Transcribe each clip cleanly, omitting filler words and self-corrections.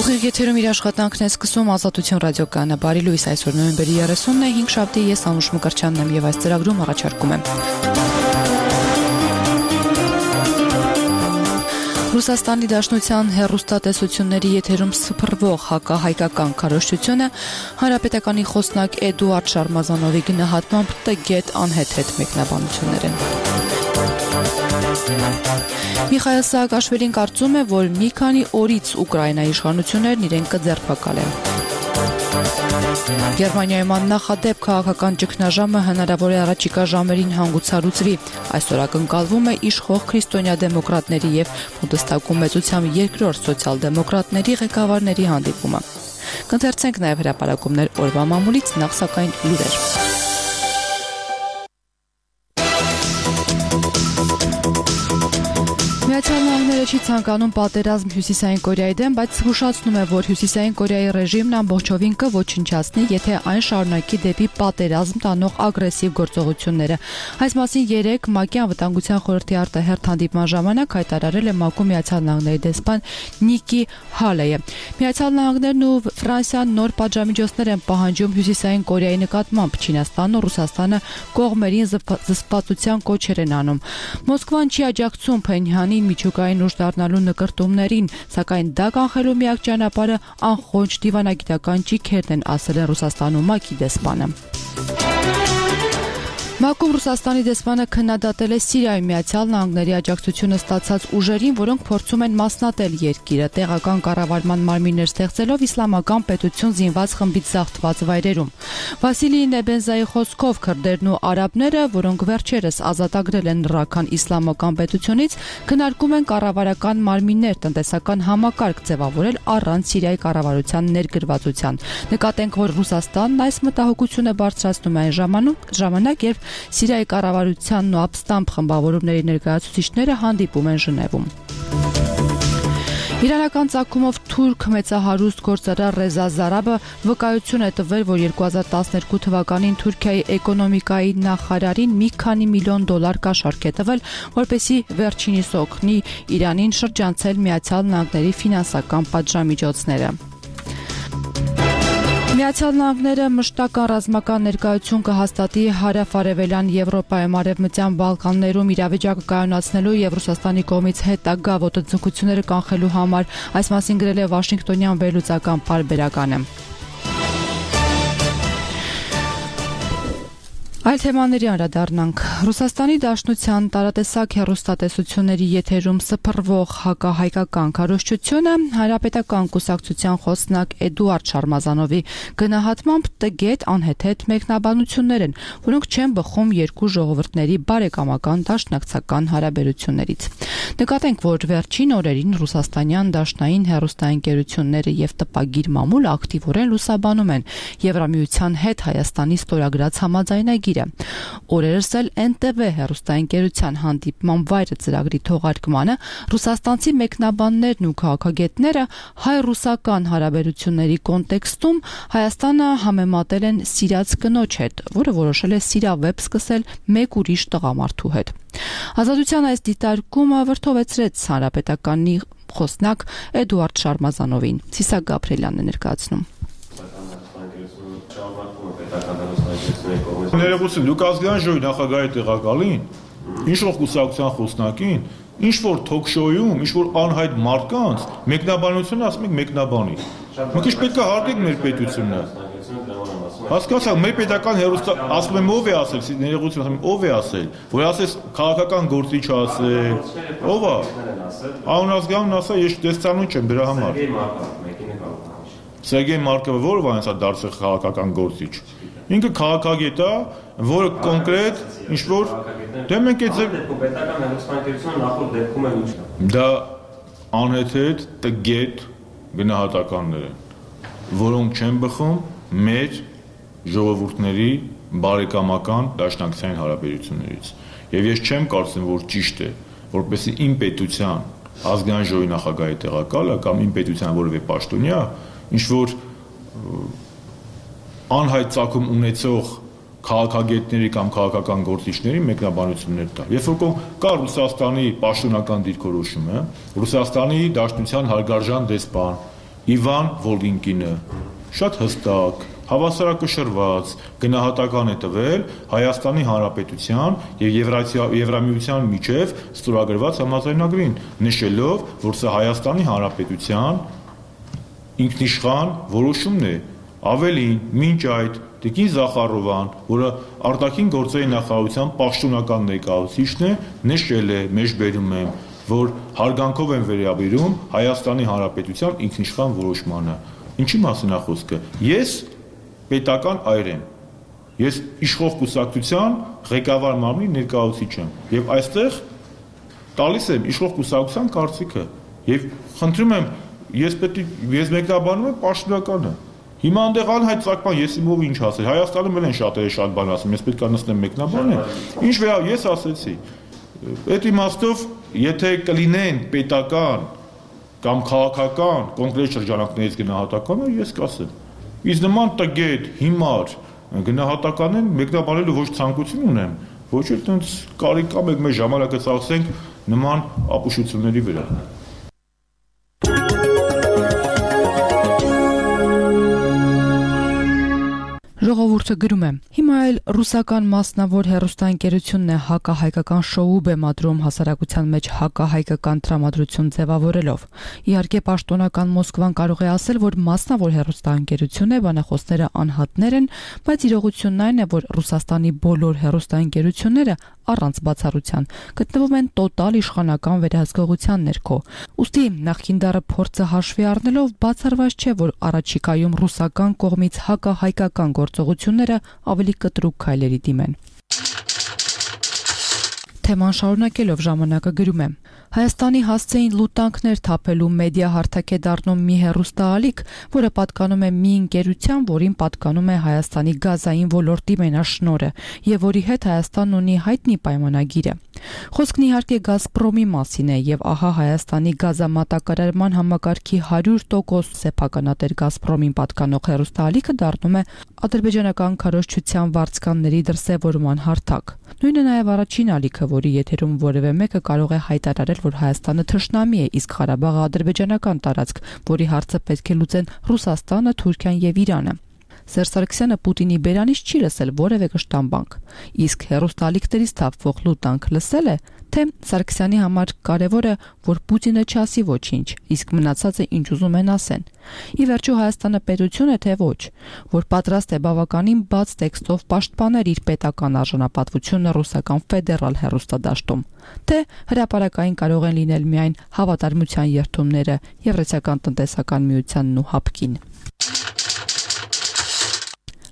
Ուղիղ եթերում իր աշխատանքն է սկսում Ազատություն ռադիոկայանը։ Բարի լույս, այսօր նոյեմբերի 30-ն է, 5 շաբթի, ես Անուշ Մկրտչյանն եմ եւ այս ծրագրում առաջարկում եմ Ռուսաստանի Դաշնության հեռուստատեսությունների եթերում սփռվող հակահայկական քարոզչությունը, Հանրապետականի խոսնակ Էդուարդ Շարմազանովի գնահատմամբ տգետ անհեթեթ մեկնաբանություններ են։ Միխայել Սահակաշվիլին կարծում է, որ մի քանի օրից Ուկրաինայի իշխանություններն իրեն կձերբակալեն։ Գերմանիայում աննախադեպ քաղաքական ճգնաժամը հնարավոր է առաջիկա ժամերին հանգուցալուծվի։ Այսօր ակնկալվում է իշխող քրիստոնյա դեմոկրատների եւ Բունդեստագում մեծությամբ երկրորդ սոցիալ-դեմոկրատների ղեկավարների հանդիպումը։ Կընթերցենք նաեւ հրապարակումներ օրվա մամուլից, նախ սակայն լուրեր։ Միացյալ Նահանգները չի ցանկանում պատերազմ Հյուսիսային Կորեայի դեմ, բայց հուշացնում է, որ Հյուսիսային Կորեայի ռեժիմն ամբողջովին կոչնչացնի, եթե այն շարունակի դեպի պատերազմ տանող ագրեսիվ գործողությունները։ Այս մասին 3 ՄԱԿ-ի անվտանգության խորհրդի արտահերթ հանդիպման ժամանակ հայտարարել է ՄԱԿ-ում Միացյալ Նահանգների դեսպան Նիկի Հալեյը։ Միացյալ Նահանգներն ու Ֆրանսիան նոր պատժամիջոցներ են պահանջում Հյուսիսային Կորեայի նկատմամբ, Չինաստանն ու Ռուսաստանը կողմերին զսպվածության կոչեր են անում։ Մոսկվան չի աջակցում Փենհյանի միջուկային ուժ դառնալու նկրտումներին, սակայն դա կանխելու միակ ճանապարհը անխոնջ դիվանագիտական ճիգերն են, ասել է Ռուսաստանում ՄԱԿ-ի դեսպանը։ ՄԱԿ-ում Ռուսաստանի դեսպանը քննադատել է Սիրիայում Միացյալ Նահանգների աջակցությունը ստացած ուժերին, որոնք փորձում են մասնատել երկիրը, տեղական կառավարման մարմիններ ստեղծելով իսլամական պետություն զինված խմբից զավթված վայրերում։ Վասիլի Նեբենզայի խոսքով քրդերն ու արաբները, որոնք վերջերս ազատագրել են Ռաքան իսլամական պետությունից, քննարկում են կառավարական մարմիններ, տնտեսական համակարգ ձևավորել առանց Սիրիայի կառավարության ներգրավվածության։ Նկատենք, որ Ռուսաստանն այս մտահոգությունը բարձրացնում է այն ժամանակ, երբ Սիրիայի կառավարությանն ու ապստամբ խմբավորումների ներկայացուցիչները հանդիպում են Ժնևում։ Իրանական ծագումով թուրք մեծահարուստ գործարար Ռեզա Զարաբը վկայություն է տվել, որ 2012 թվականին Թուրքիայի էկոնոմիկայի նախարարին մի քանի միլիոն դոլար կաշառք է տվել, որպեսզի վերջինիս օգնի Իրանին շրջանցել Միացյալ Նահանգների ֆինանսական պատժամիջոցները։ Միացյալ Նահանգները մշտական ռազմական ներկայություն կհաստատի հարավ-արևելյան Եվրոպայում, Արևմտյան Բալկաններում իրավիճակը կայունացնելու եւ Ռուսաստանի կողմից հետագա ոտնձգությունները կանխելու համար, այս մասին գրել է Վաշինգտոնյան վերլուծական պարբերականը։ Այլ թեմաների անդրադառնանք։ Ռուսաստանի Դաշնության տարատեսակ հեռուստատեսությունների եթերում սփռվող հակահայկական քարոզչությունը Հանրապետական կուսակցության խոսնակ Էդուարդ Շարմազանովի գնահատմամբ տգետ անհեթեթ մեկնաբանություններ են, որոնք չեն բխում երկու ժողովուրդների բարեկամական դաշնակցական հարաբերություններից։ Նկատենք, որ վերջին օրերին ռուսաստանյան դաշնային հեռուստաընկերությունները եւ տպագիր մամուլը ակտիվորեն լուսաբանում են Եվրամիության հետ Հայաստանի ստորագրած համաձայնագիրը։ Օրերս էլ NTV հեռուստաընկերության հանդիպման վայրը ծրագրի թողարկմանը ռուսաստանցի մեկնաբաններն ու քաղաքագետները հայ-ռուսական հարաբերությունների կոնտեքստում Հայաստանը համեմատել են սիրած կնոջ հետ, որը որոշել է սիրավեպ սկսել մեկ ուրիշ տղամարդու հետ։ Ազատության այս դիտարկումը վրդովեցրեց Հանրապետականի խոսնակ Էդուարդ Շարմազանովին։ Սիսակ Գաբրելյանն է ներկայացնում։ Ներողություն, դուք ազգային ժողովի նախագահի տեղակալին, ինչ-որ կուսակցության խոսնակին, ինչ-որ թոք-շոուում, ինչ-որ անհայտ մարդկանց մեկնաբանությունը ասում եք մեկնաբանի։ Մենք ինչ պետք է հարգենք մեր պետությունը։ Հասկացա, մեր պետական հեռուստա ասում եմ ով է ասել, ներողություն ասում եմ ով է ասել, որ ասես քաղաքական գործիչ ասել, ով է։ Անունազգանուն ասա, ես տեսանուն չեմ դրա համար։ Սերգեյ Մարկովը որով է հենց դարձել քաղաքական գործիչ։ Ինքը քաղաքագետ է, որը կոնկրետ ինչ-որ դե մենք այդ պետական հեռուստաընկերությունը նախորդ դեպքում էլ ինչ։ Դա անհեթեթ տգետ գնահատականներ են, որոնք չեն բխում մեր ժողովուրդների բարեկամական դաշնակցային հարաբերություններից։ Եվ ես չեմ կարծում, որ ճիշտ է, որպեսզի իմ պետության ազգային ժողովի նախագահի տեղակալը կամ իմ պետության որևէ պաշտոնյա ինչ-որ անհայտ ծագում ունեցող քաղաքագետների կամ քաղաքական գործիչների մեկնաբանություններ տալ։ Երբ որ կա Ռուսաստանի պաշտոնական դիրքորոշումը, Ռուսաստանի Դաշնության հարգարժան դեսպան Իվան Վոլգինկինը շատ հստակ, հավասարակշռված գնահատական է տվել Հայաստանի Հանրապետության եւ Եվրամիության միջև ստորագրված համաձայնագրին, նշելով, որ սա Հայաստանի Հանրապետության ինքնիշխան որոշումն է։ Ավելին, մինչ այդ Տիկին Զախարովան, որը արտաքին գործերի նախարարության պաշտոնական ներկայացուցիչն է, նշել է, մեջբերում եմ, որ հարգանքով են վերաբերում Հայաստանի Հանրապետության ինքնիշխան որոշմանը։ Ինչի մասին է խոսքը։ Ես պետական այր եմ։ Ես իշխող կուսակցության ղեկավար մարմնի ներկայացուցիչ եմ եւ այստեղ տալիս եմ իշխող կուսակցության կարծիքը եւ խնդրում եմ ես մեկնաբանում եմ պաշտոնականը։ Հիմա այնտեղ անհայտ ցակման ես իմով ինչ ասել։ Հայաստանում էլ են շատերը շատ բան ասում, ես պետք է նստեմ մեկնաբանեմ։ Ինչ վերա ես ասեցի։ Այդ իմաստով, եթե կլինեն պետական կամ քաղաքական կոնկրետ շրջանակներից գնահատականը, ես կասեմ։ Իսկ նման տգետ, հիմար գնահատականն մեկնաբանելու ոչ ցանկություն ունեմ, ոչ էլ տենց կարիք կա մեր ժամանակը ծախսենք նման ապուշությունների վրա։ Ժողովուրդը գրում է. Հիմա էլ ռուսական մասնավոր հեռուստաընկերությունն է հակահայկական շոու բեմադրում հասարակության մեջ հակահայկական տրամադրություն ձևավորելով։ Իհարկե պաշտոնական Մոսկվան կարող է ասել, որ մասնավոր հեռուստաընկերություն է, բանախոսները անհատներ են, բայց իրողությունն այն է, որ Ռուսաստանի բոլոր հեռուստաընկերությունները առանց բացառության գտնվում են տոտալ իշխանական վերահսկողության ներքո։ Ուստի նախկին դարը փորձը հաշվի առնելով բացառված չէ, որ առաջիկայում ռուսական կողմից հակահայկական գործողությունները ավելի կտրուկ քայլերի դիմեն։ Թեման շարունակելով ժամանակը գրում է. Հայաստանի հասցեին լուտանքներ թափելու մեդիա հարթակ է դառնում մի հեռուստաալիք, որը պատկանում է մի ընկերության, որին պատկանում է Հայաստանի գազային ոլորտի մենաշնորհը եւ որի հետ Հայաստանն ունի հայտնի պայմանագիր է։ Խոսքն իհարկե Գազպրոմի մասին է եւ ահա Հայաստանի գազամատակարարման համակարգի 100% սեփականատեր Գազպրոմին պատկանող հեռուստաալիքը դառնում է ադրբեջանական քարոզչության վարձկանների դրսևորման հարթակ։ Նույնը նաեւ առաջին ալիքը, որի եթերում որևէ մեկը կարող է հայտարարել, որ Հայաստանը թշնամի է, իսկ Ղարաբաղը ադրբեջանական տարածք, որի հարցը պետք է լուծեն Ռուսաստանը, Թուրքիան եւ Իրանը։ Սերժ Սարգսյանը Պուտինի բերանից չի լսել որևէ կշտամբանք, իսկ հեռուստաալիքներից թափվող լուտանք լսել է, թե Սարգսյանի համար կարևոր է, որ Պուտինը չասի ոչինչ, իսկ մնացածը ինչ ուզում են ասեն։ Ի վերջո Հայաստանը պետություն է, թե ոչ, որ պատրաստ է բավականին բաց տեքստով պաշտպանել իր պետական արժանապատվությունը ռուսական ֆեդերալ հեռուստադաշտում, թե հրապարակային կարող են լինել միայն հավատարմության երթումները Եվրասիական տնտեսական միությանն ու ՀԱՊԿ-ին։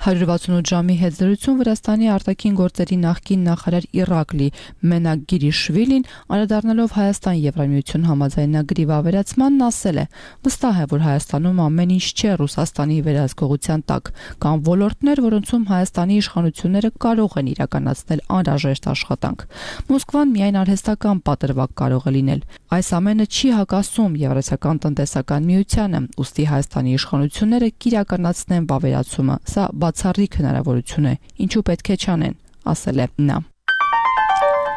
168 ժամի հետ զրույցում Վրաստանի արտաքին գործերի նախկին նախարար Իրակլի Մենակ Գիրիշվիլին անդրադառնալով Հայաստան-Եվրամիություն համաձայնագրի վավերացմանն ասել է. վստահ է, որ Հայաստանում ամեն ինչ չէ Ռուսաստանի վերահսկողության տակ, կան ոլորտներ, որոնցում Հայաստանի իշխանությունները կարող են իրականացնել անհրաժեշտ աշխատանք։ Մոսկվան միայն արհեստական պատրվակ կարող է լինել։ Այս ամենը չի հակասում Եվրասիական տնտեսական միությանը, ուստի Հայաստանի իշխանությունները կիրականացնեն վավերացումը։ Սա բացառիկ հնարավորություն է, ինչու պետք է չանեն, ասել է նա։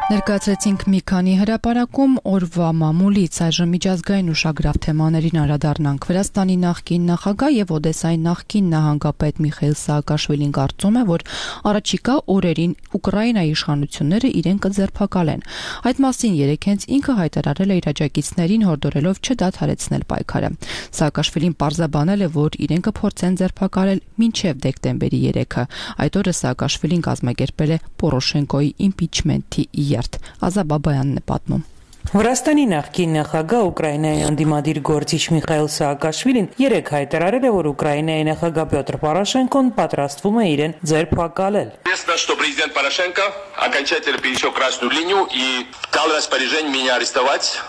Ներկայացրեցինք մի քանի հրապարակում օրվա մամուլից, այժմ միջազգային ուշագրավ թեմաներին անդրադառնանք։ Վրաստանի նախկին նախագահ եւ Օդեսայի նախկին նահանգապետ Միխայիլ Սաակաշվիլին կարծում է, որ առաջիկա օրերին Ուկրաինայի իշխանությունները իրեն կձերբակալեն։ Այդ մասին երեկ հենց ինքը հայտարարել է իր աջակիցներին, հորդորելով չդադարեցնել պայքարը։ Սաակաշվիլին պարզաբանել է, որ իրեն կփորձեն ձերբակալել մինչև դեկտեմբերի 3-ը։ Այդ օրը Սաակաշվիլին կազմակերպել է Պորոշենկոյի իմպիչմենթի Ազա Բաբայանն է պատմում։ Վրաստանի նախկին նախագահ Ուկրաինայի անդիմադիր գործիչ Միխայիլ Սաակաշվիլին երեկ հայտարարել է, որ Ուկրաինայի նախագահ Петр Порошенкոն պատրաստվում է իրեն ձերբակալել։ Известно, что президент Порошенко окончательно пересек красную линию и дал распоряжение меня арестовать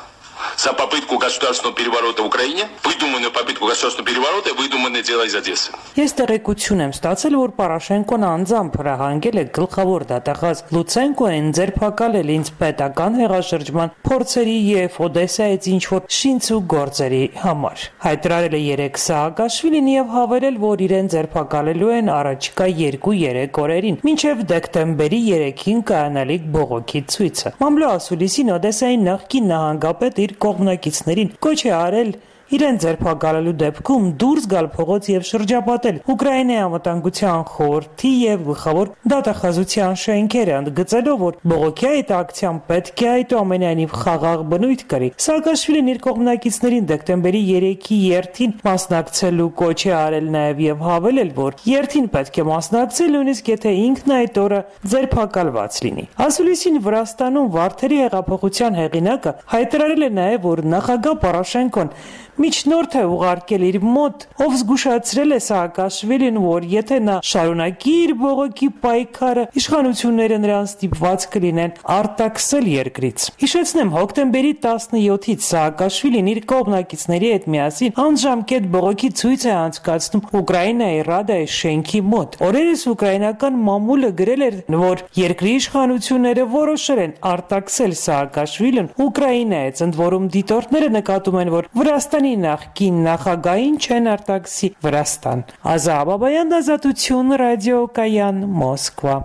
за попытку государственного переворота в Украине, выдуманную попытку государственного переворота и выдуманное дело из Одессы. Ես տեղեկություն եմ ստացել, որ Պարաշենկոն անձամբ հրահանգել է գլխավոր դատախազ Լուցենկոին ձերբակալել ինձ պետական հեղաշրջման փորձերի եւ Օդեսայից ինչ-որ շինց ու գործերի համար։ Հայտարարել է երեք Սաակաշվիլին եւ հավելել, որ իրեն ձերբակալելու են առաջիկա 2-3 օրերին, մինչեւ դեկտեմբերի 3-ին կայանալիք բողոքի ցույցը։ Մամլո ասուլիսին Օդեսայի նախկին նահանգապետ իր կողմնակիցներին կոչ է արել իրեն ձերբակալելու դեպքում դուրս գալ փողոց եւ շրջապատել Ուկրաինայի անվտանգության խորհրդի եւ գլխավոր դատախազության շենքերը, ընդգծելով, որ բողոքի այդ ակցիան պետք է այդուամենայնիվ խաղաղ բնույթ կրի։ Սաակաշվիլին իր կողմնակիցներին դեկտեմբերի 3-ի երթին մասնակցելու կոչ է արել նաեւ եւ հավելել, որ երթին պետք է մասնակցել նույնիսկ եթե ինքն այդ օրը ձերբակալված լինի։ Ասուլիսին Վրաստանում Վարդերի հեղափոխության հեղինակը հայտարարել է նաեւ, որ նախագահ Պորոշենկոն միջնորդ է ուղարկել իր մոտ, ով զգուշացրել է Սաակաշվիլին, որ եթե նա շարունակի իր բողոքի պայքարը, իշխանությունները նրան ստիպված կլինեն արտաքսել երկրից։ Հիշեցնեմ, հոկտեմբերի 17-ից Սաակաշվիլին իր կողմնակիցների հետ միասին անժամկետ բողոքի ցույց է անցկացնում Ուկրաինայի Ռադայի շենքի մոտ։ Օրերս ուկրաինական մամուլը գրել էր, որ երկրի իշխանությունները որոշել են արտաքսել Սաակաշվիլին Ուկրաինայից, ընդ որում դիտորդները նկատում են, որ Վրաստանի նախկին նախագահին չեն արտաքսի Վրաստան։ Ազա Բաբայան, Ազատություն, ռադիոկայան, Մոսկվա։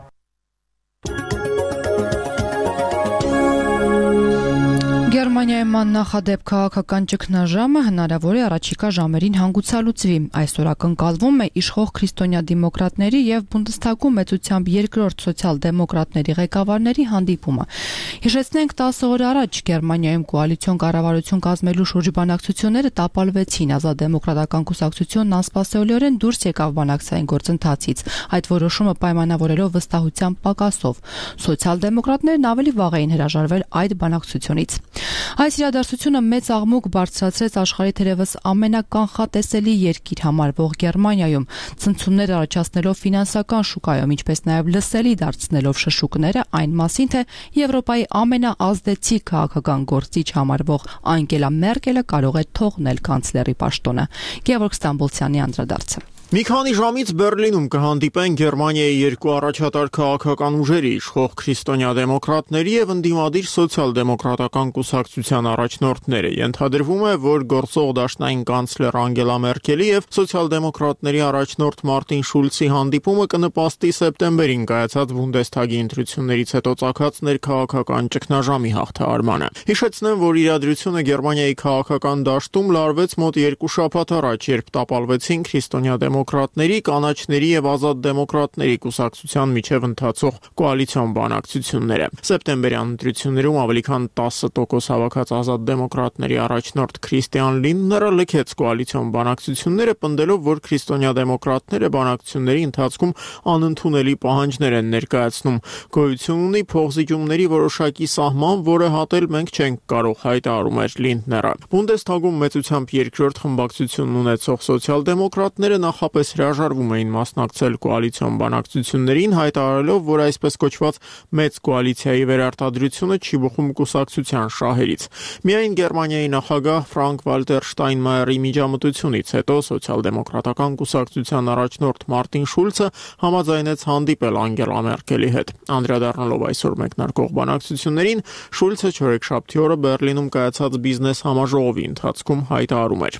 Գերմանիայում աննախադեպ քաղաքական ճգնաժամը հնարավոր է առաջիկա ժամերին հանգուցալուծվի։ Այսօր ակնկալվում է իշխող քրիստոնյա դեմոկրատների եւ Բունդեսթագում մեծությամբ երկրորդ սոցիալ-դեմոկրատների ղեկավարների հանդիպումը։ Հիշեցնենք 10 օր առաջ Գերմանիայում կոալիցիոն կառավարություն կազմելու շրջբանակցությունները տապալվեցին։ Ազատ դեմոկրատական կուսակցությունն անսպասելիորեն դուրս եկավ բանակցային գործընթացից, այդ որոշումը պայմանավորելով վստահության պակասով։ Սոցիալ-դեմոկրատներն ավելի վաղ էին հրաժարվել այդ բանակցությունից։ Այս իրադարձությունը մեծ աղմուկ բարձրացրեց աշխարհի թերևս ամենականխատեսելի երկիր համարվող Գերմանիայում, ցնցումներ առաջացնելով ֆինանսական շուկայում, ինչպես նաև լսելի դարձնելով շշուկները այն մասին, թե Եվրոպայի ամենաազդեցիկ քաղաքական գործիչ համարվող Անգելա Մերկելը կարող է թողնել կանցլերի պաշտոնը։ Գևորգ Ստամբոլցյանի անդրադարձը։ Մի քանի ժամից Բերլինում կհանդիպեն Գերմանիայի երկու առաջատար քաղաքական ուժերի, իշխող քրիստոնյա դեմոկրատների եւ ընդդիմադիր սոցիալ-դեմոկրատական կուսակցության առաջնորդները։ Ենթադրվում է, որ գործող դաշնային կանցլեր Անգելա Մերկելի եւ սոցիալ-դեմոկրատների առաջնորդ Մարտին Շուլցի հանդիպումը կնպաստի սեպտեմբերին կայացած Բունդեսթագի ընտրություններից հետո ծագած ներքաղաքական ճգնաժամի հաղթահարմանը։ Հիշեցնեմ, որ իրադրությունը Գերմանիայի քաղաքական դաշտում լարվեց մոտ 2 շաբաթ առաջ, երբ տապալվեցին քրիստոնյա դեմոկրատների, կանաչների եւ ազատ դեմոկրատների կուսակցության միջև ընթացող կոալիցիոն բանակցությունները։ Սեպտեմբերյան ընտրություններում ավելի քան 10% հավաքած ազատ դեմոկրատների առաջնորդ Քրիստիան Լինդները լքեց կոալիցիոն բանակցությունները, պնդելով, որ քրիստոնյա դեմոկրատները բանակցությունների ընթացքում անընդունելի պահանջներ են ներկայացնում։ Գոյություն ունի փոխզիջումների որոշակի սահման, որը հատել մենք չենք կարող, հայտարարում էր Լինդները։ Բունդեսթագում մեծությամբ երկրորդ խմբակցությունն ունեցող սոցիալ-դեմոկրատները նախապես հրաժարվում էին մասնակցել կոալիցիոն բանակցություններին, հայտարարելով, որ այսպես կոչված մեծ կոալիցիայի վերարտադրությունը չի բխում կուսակցության շահերից։ Միայն Գերմանիայի նախագահ Ֆրանկ Վալտեր Շտայնմայերի միջամտությունից հետո սոցիալ-դեմոկրատական կուսակցության առաջնորդ Մարտին Շուլցը համաձայնեց հանդիպել Անգելա Մերկելի հետ։ Անդրադառնալով այսօր մեկնարկող բանակցություններին, Շուլցը չորեքշաբթի օրը Բերլինում կայացած բիզնես համաժողովի ընթացքում հայտարարում էր.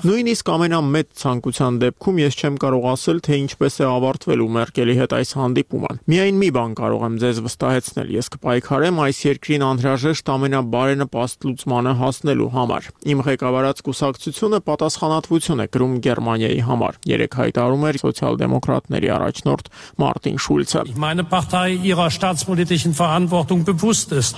Նույնիսկ ամենամեծ ցանկության դեպքում ես չեմ կարող ասել, թե ինչպես է ավարտվելու Մերկելի հետ այս հանդիպումը։ Միայն մի բան կարող եմ ձեզ վստահեցնել, ես կպայքարեմ այս երկրին անհրաժեշտ ամենաբարենպաստ լուծմանը հասնելու համար։ Իմ ղեկավարած կուսակցությունը պատասխանատվություն է կրում Գերմանիայի համար, երեք հայտարարում էր սոցիալ-դեմոկրատների առաջնորդ Մարտին Շուլցը։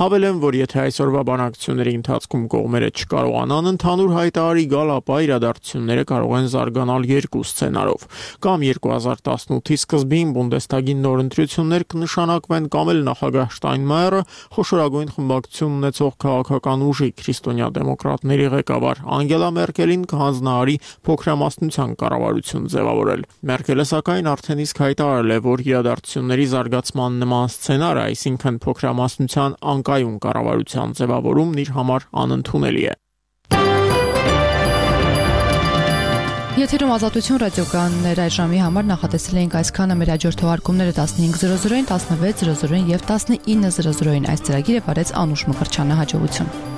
Հավելեմ, որ եթե այսօրվա բանակցությունների ընթացքում կողմերը չկարողանան ընդհանուր հայտարարի գալ, ապա իրադարձությունները կարող են զարգանալ երկու սցենարով։ Կամ 2018-ի սկզբին Բունդեսթագի նոր ընտրություններ կնշանակվեն, կամ էլ նախագահ Շտայնմայերը խոշորագույն խմբակցություն ունեցող քաղաքական ուժի քրիստոնյա դեմոկրատների ղեկավար Անգելա Մերկելին կհանձնարարի փոքրամասնության կառավարություն ձևավորել։ Մերկելը սակայն արդեն իսկ հայտարարել է, որ իրադարձությունների զարգացման նման սցենարը, այսինքն փոքրամասնության անկայուն կառավարության ձևավորումն իր համար անընդունելի է։ Եթերում Ազատություն ռադիոկայաններ այս ժամի համար նախատեսել էինք այսքանը։ Մեր հաջորդ թողարկումները 15:00-ին, 16:00-ին եւ 19:00-ին այս ծրագիրը վարեց Անուշ Մկրտչյանը։ Հաջողություն։